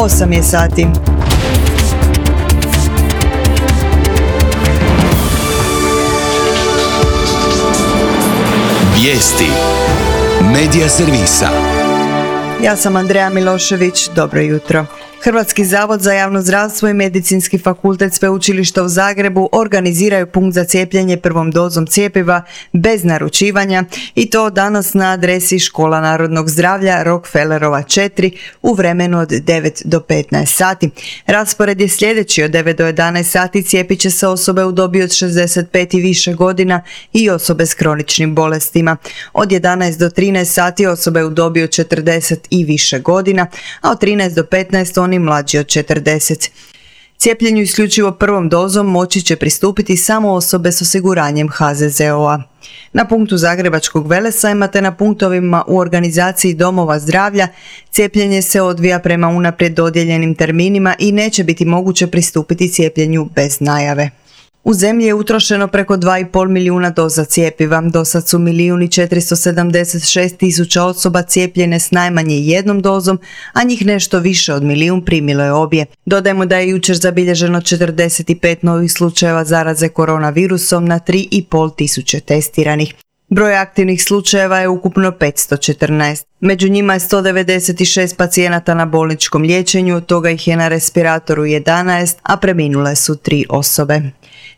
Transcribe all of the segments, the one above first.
8 je sati. Vijesti Medija servisa. Ja sam Andreja Milošević, dobro jutro. Hrvatski zavod za javno zdravstvo i Medicinski fakultet Sveučilišta u Zagrebu organiziraju punkt za cijepljenje prvom dozom cjepiva bez naručivanja i to danas na adresi Škola narodnog zdravlja Rockefellerova 4 u vremenu od 9 do 15 sati. Raspored je sljedeći: od 9 do 11 sati cijepit će se osobe u dobi od 65 i više godina i osobe s kroničnim bolestima. Od 11 do 13 sati osobe u dobi od 40 i više godina, a od 13 do 15 oni mlađi od 40. Cijepljenju isključivo prvom dozom moći će pristupiti samo osobe s osiguranjem HZZO-a. Na punktu Zagrebačkog Velesajma te na punktovima u organizaciji domova zdravlja cijepljenje se odvija prema unaprijed dodijeljenim terminima i neće biti moguće pristupiti cijepljenju bez najave. U zemlji je utrošeno preko 2,5 milijuna doza cjepiva. Do sad su 1.476.000 osoba cijepljene s najmanje jednom dozom, a njih nešto više od milijun primilo je obje. Dodajmo da je jučer zabilježeno 45 novih slučajeva zaraze koronavirusom na 3,5 tisuće testiranih. Broj aktivnih slučajeva je ukupno 514. Među njima je 196 pacijenata na bolničkom liječenju, od toga ih je na respiratoru 11, a preminule su 3 osobe.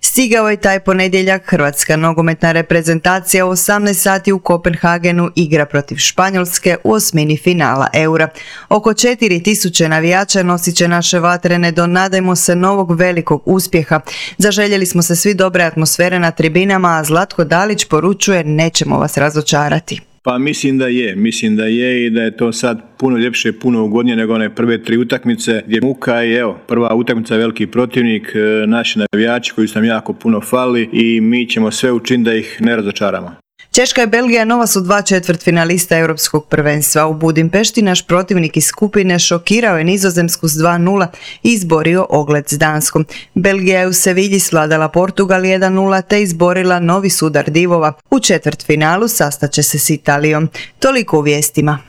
Stigao je taj ponedjeljak. Hrvatska nogometna reprezentacija u 18 sati u Kopenhagenu igra protiv Španjolske u osmini finala Eura. Oko 4000 navijača nosit će naše vatrene do, nadajmo se, novog velikog uspjeha. Zaželjeli smo se svi dobre atmosfere na tribinama, a Zlatko Dalić poručuje: nećemo vas razočarati. Pa mislim da je i da je to sad puno ljepše, puno ugodnije nego one prve 3 utakmice gdje muka i evo, prva utakmica je veliki protivnik, naši navijači koji su nam jako puno fali i mi ćemo sve učiniti da ih ne razočaramo. Češka i Belgija nova su 2 četvrtfinalista Europskog prvenstva. U Budimpešti naš protivnik iz skupine šokirao je Nizozemsku s 2:0 i izborio ogled s Danskom. Belgija je u Sevilji svladala Portugal 1:0 te izborila novi sudar divova. U četvrtfinalu sastaće se s Italijom. Toliko u vijestima.